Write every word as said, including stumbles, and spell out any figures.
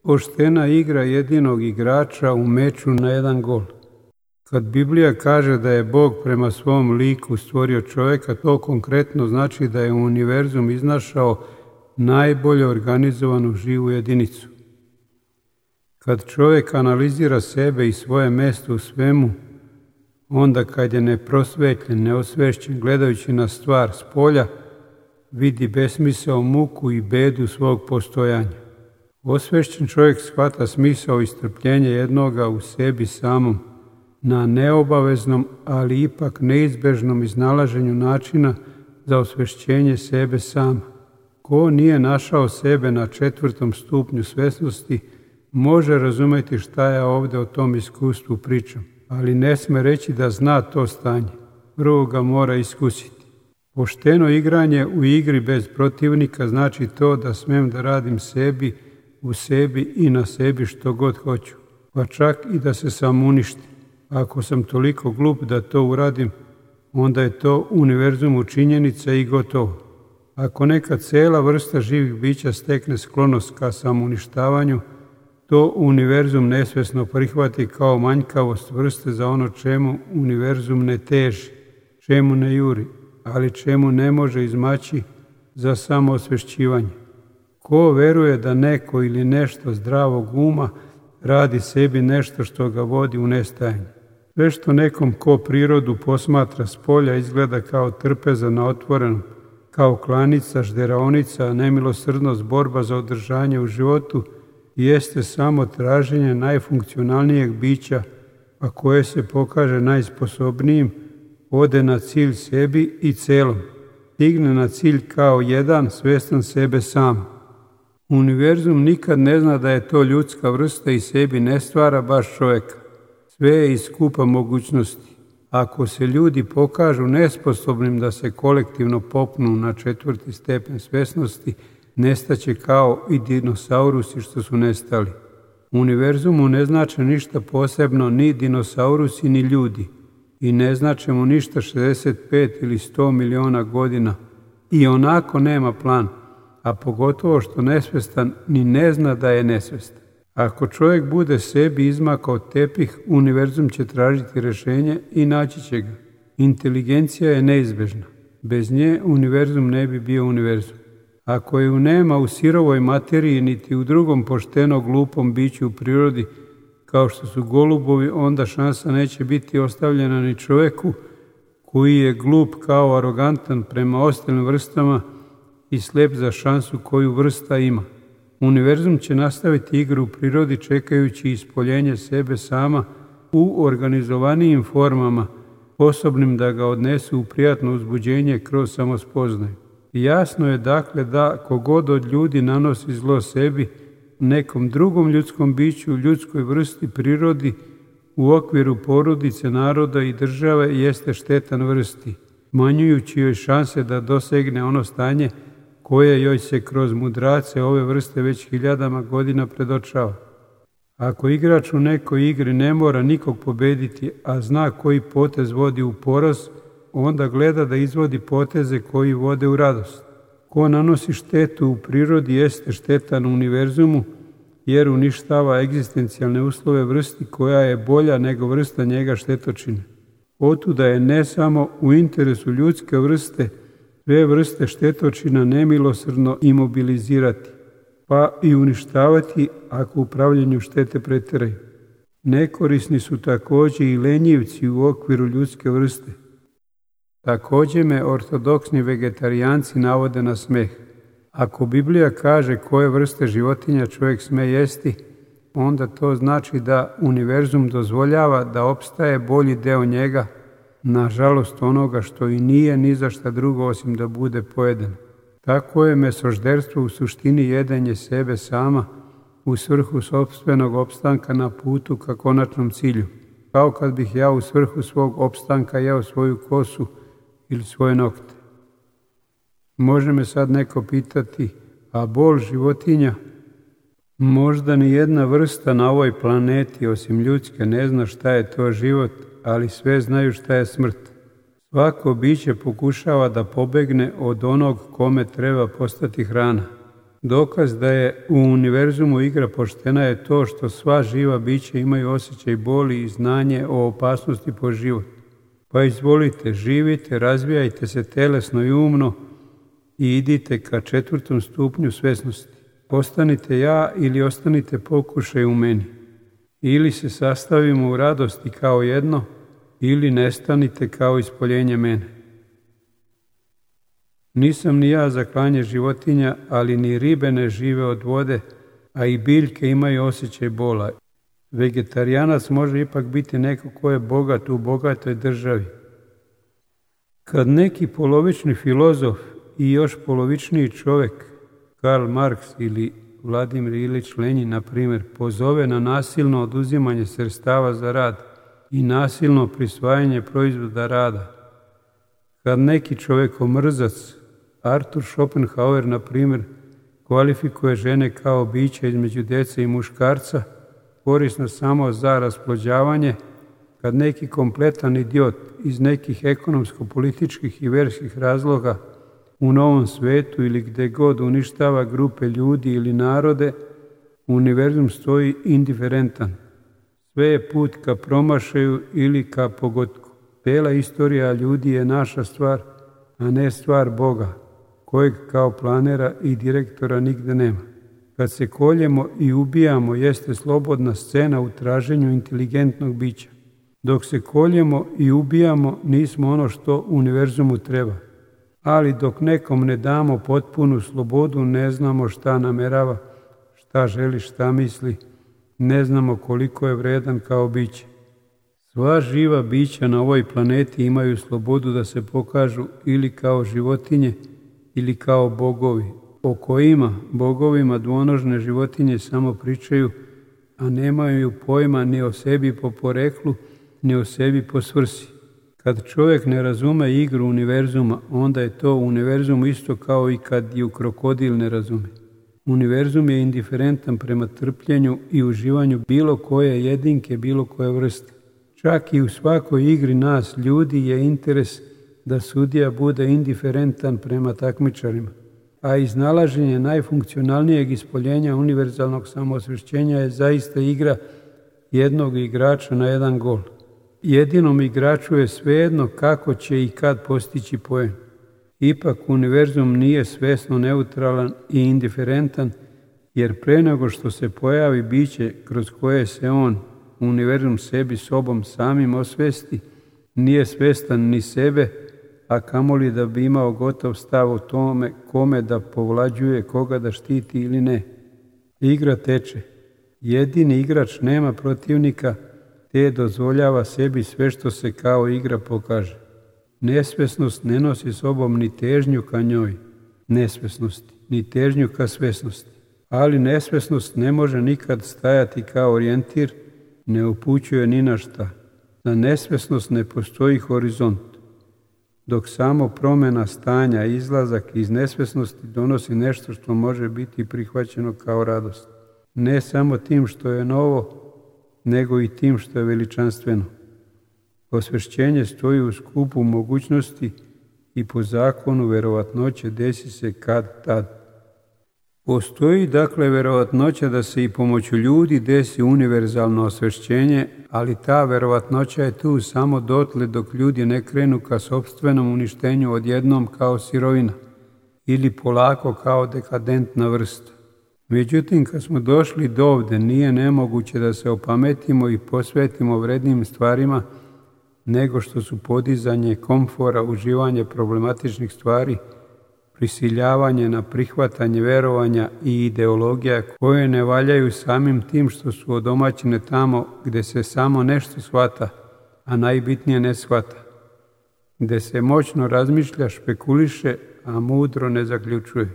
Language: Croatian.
poštena igra jedinog igrača u meču na jedan gol. Kad Biblija kaže da je Bog prema svom liku stvorio čovjeka, to konkretno znači da je u univerzum iznašao najbolje organizovanu živu jedinicu. Kad čovjek analizira sebe i svoje mjesto u svemu, onda kad je neprosvetljen, neosvešćen, gledajući na stvar s polja, vidi besmisao, muku i bedu svog postojanja. Osvešćen čovjek shvata smisao i strpljenje jednoga u sebi samom, na neobaveznom, ali ipak neizbežnom iznalaženju načina za osvešćenje sebe sama. Ko nije našao sebe na četvrtom stupnju svjesnosti, može razumjeti šta ja ovdje o tom iskustvu pričam, ali ne sme reći da zna to stanje. Prvo ga mora iskusiti. Pošteno igranje u igri bez protivnika znači to da smem da radim sebi, u sebi i na sebi što god hoću, pa čak i da se sam uništim. Ako sam toliko glup da to uradim, onda je to univerzumu činjenica i gotovo. Ako neka cijela vrsta živih bića stekne sklonost ka samouništavanju, to univerzum nesvjesno prihvati kao manjkavost vrste za ono čemu univerzum ne teži, čemu ne juri, ali čemu ne može izmaći za samoosvešćivanje. Ko veruje da neko ili nešto zdravog uma radi sebi nešto što ga vodi u nestajanje? Sve što nekom ko prirodu posmatra s polja izgleda kao trpeza na otvorenom, kao klanica, žderaonica, nemilosrdnost, borba za održanje u životu, jeste samo traženje najfunkcionalnijeg bića, a koje se pokaže najsposobnijim, ode na cilj sebi i celom. Stigne na cilj kao jedan, svjestan sebe sam. Univerzum nikad ne zna da je to ljudska vrsta i sebi ne stvara baš čovjeka. Sve je iz skupa mogućnosti. Ako se ljudi pokažu nesposobnim da se kolektivno popnu na četvrti stepen svjesnosti, nestaće kao i dinosaurusi što su nestali. U univerzumu ne znače ništa posebno ni dinosaurusi ni ljudi i ne znače mu ništa šezdeset pet ili sto miliona godina i onako nema plan, a pogotovo što nesvjestan ni ne zna da je nesvjestan. Ako čovjek bude sebi izmakao tepih, univerzum će tražiti rješenje i naći će ga. Inteligencija je neizbežna. Bez nje univerzum ne bi bio univerzum. Ako ju nema u sirovoj materiji niti u drugom pošteno glupom biću u prirodi, kao što su golubovi, onda šansa neće biti ostavljena ni čovjeku koji je glup kao arogantan prema ostalim vrstama i slep za šansu koju vrsta ima. Univerzum će nastaviti igru u prirodi čekajući ispoljenje sebe sama u organizovanijim formama, sposobnim da ga odnesu u prijatno uzbuđenje kroz samospoznaju. Jasno je dakle da kogod od ljudi nanosi zlo sebi, nekom drugom ljudskom biću, ljudskoj vrsti, prirodi, u okviru porodice, naroda i države jeste štetan vrsti, smanjujući joj šanse da dosegne ono stanje koje joj se kroz mudrace ove vrste već hiljadama godina predočava. Ako igrač u nekoj igri ne mora nikog pobediti, a zna koji potez vodi u poraz, onda gleda da izvodi poteze koji vode u radost. Ko nanosi štetu u prirodi jeste štetan u univerzumu, jer uništava egzistencijalne uslove vrsti koja je bolja nego vrsta njega štetočine. Otuda je ne samo u interesu ljudske vrste sve vrste štetočina nemilosrdno imobilizirati, pa i uništavati ako u pravljenju štete pretjeraju. Nekorisni su također i lenjivci u okviru ljudske vrste. Također me ortodoksni vegetarijanci navode na smeh. Ako Biblija kaže koje vrste životinja čovjek sme jesti, onda to znači da univerzum dozvoljava da opstaje bolji deo njega, nažalost onoga što i nije ni za šta drugo osim da bude pojeden. Tako je mesožderstvo u suštini jedenje sebe sama u svrhu sopstvenog opstanka na putu ka konačnom cilju. Kao kad bih ja u svrhu svog opstanka jeo svoju kosu ili svoje nokte. Može me sad neko pitati, a bol životinja? Možda ni jedna vrsta na ovoj planeti osim ljudske ne zna šta je to život, ali sve znaju šta je smrt. Svako biće pokušava da pobegne od onog kome treba postati hrana. Dokaz da je u univerzumu igra poštena je to što sva živa bića imaju osjećaj boli i znanje o opasnosti po život. Pa izvolite, živite, razvijajte se telesno i umno i idite ka četvrtom stupnju svesnosti. Postanite ja ili ostanite pokušaj u meni. Ili se sastavimo u radosti kao jedno, ili nestanite kao ispoljenje mene. Nisam ni ja za klanje životinja, ali ni ribe ne žive od vode, a i biljke imaju osjećaj bola. Vegetarijanac može ipak biti neko ko je bogat u bogatoj državi. Kad neki polovični filozof i još polovičniji čovjek, Karl Marx ili Vladimir Ilić Lenjin, na primjer, pozove na nasilno oduzimanje sredstava za rad i nasilno prisvajanje proizvoda rada. Kad neki čovjekomrzac, Arthur Schopenhauer, na primjer, kvalifikuje žene kao biće između djece i muškarca, korisno samo za rasplođavanje, kad neki kompletan idiot iz nekih ekonomsko-političkih i verskih razloga u Novom svetu ili gdje god uništava grupe ljudi ili narode, univerzum stoji indiferentan. Sve je put ka promašaju ili ka pogotku. Cijela istorija ljudi je naša stvar, a ne stvar Boga, kojeg kao planera i direktora nigde nema. Kad se koljemo i ubijamo, jeste slobodna scena u traženju inteligentnog bića. Dok se koljemo i ubijamo, nismo ono što univerzumu treba. Ali dok nekom ne damo potpunu slobodu, ne znamo šta namerava, šta želi, šta misli, ne znamo koliko je vredan kao biće. Sva živa bića na ovoj planeti imaju slobodu da se pokažu ili kao životinje ili kao bogovi, o kojima bogovima dvonožne životinje samo pričaju, a nemaju pojma ni o sebi po poreklu, ni o sebi po svrsi. Kad čovjek ne razume igru univerzuma, onda je to univerzum isto kao i kad ju krokodil ne razume. Univerzum je indiferentan prema trpljenju i uživanju bilo koje jedinke, bilo koje vrste. Čak i u svakoj igri nas, ljudi, je interes da sudija bude indiferentan prema takmičarima. A iznalaženje najfunkcionalnijeg ispoljenja univerzalnog samoosvješćenja je zaista igra jednog igrača na jedan gol. Jedinom igraču je svejedno kako će i kad postići poen. Ipak univerzum nije svesno neutralan i indiferentan, jer pre nego što se pojavi biće kroz koje se on, univerzum, sebi sobom samim osvesti, nije svestan ni sebe, a kamoli da bi imao gotov stav o tome kome da povlađuje, koga da štiti ili ne. Igra teče. Jedini igrač nema protivnika, te dozvoljava sebi sve što se kao igra pokaže. Nesvesnost ne nosi sobom ni težnju ka njoj, nesvesnosti, ni težnju ka svesnosti. Ali nesvesnost ne može nikad stajati kao orijentir, ne upućuje ni na šta. Za nesvesnost ne postoji horizont, dok samo promjena stanja, izlazak iz nesvesnosti donosi nešto što može biti prihvaćeno kao radost. Ne samo tim što je novo, nego i tim što je veličanstveno. Osvješćenje stoji u skupu mogućnosti i po zakonu verovatnoće desi se kad tad. Postoji dakle verovatnoća da se i pomoću ljudi desi univerzalno osvješćenje, ali ta verovatnoća je tu samo dotle dok ljudi ne krenu ka sopstvenom uništenju odjednom kao sirovina ili polako kao dekadentna vrsta. Međutim, kad smo došli do ovde, nije nemoguće da se opametimo i posvetimo vrednim stvarima nego što su podizanje komfora, uživanje problematičnih stvari, prisiljavanje na prihvatanje verovanja i ideologija koje ne valjaju samim tim što su odomaćene tamo gde se samo nešto shvata, a najbitnije ne shvata, gde se moćno razmišlja, špekuliše, a mudro ne zaključuje.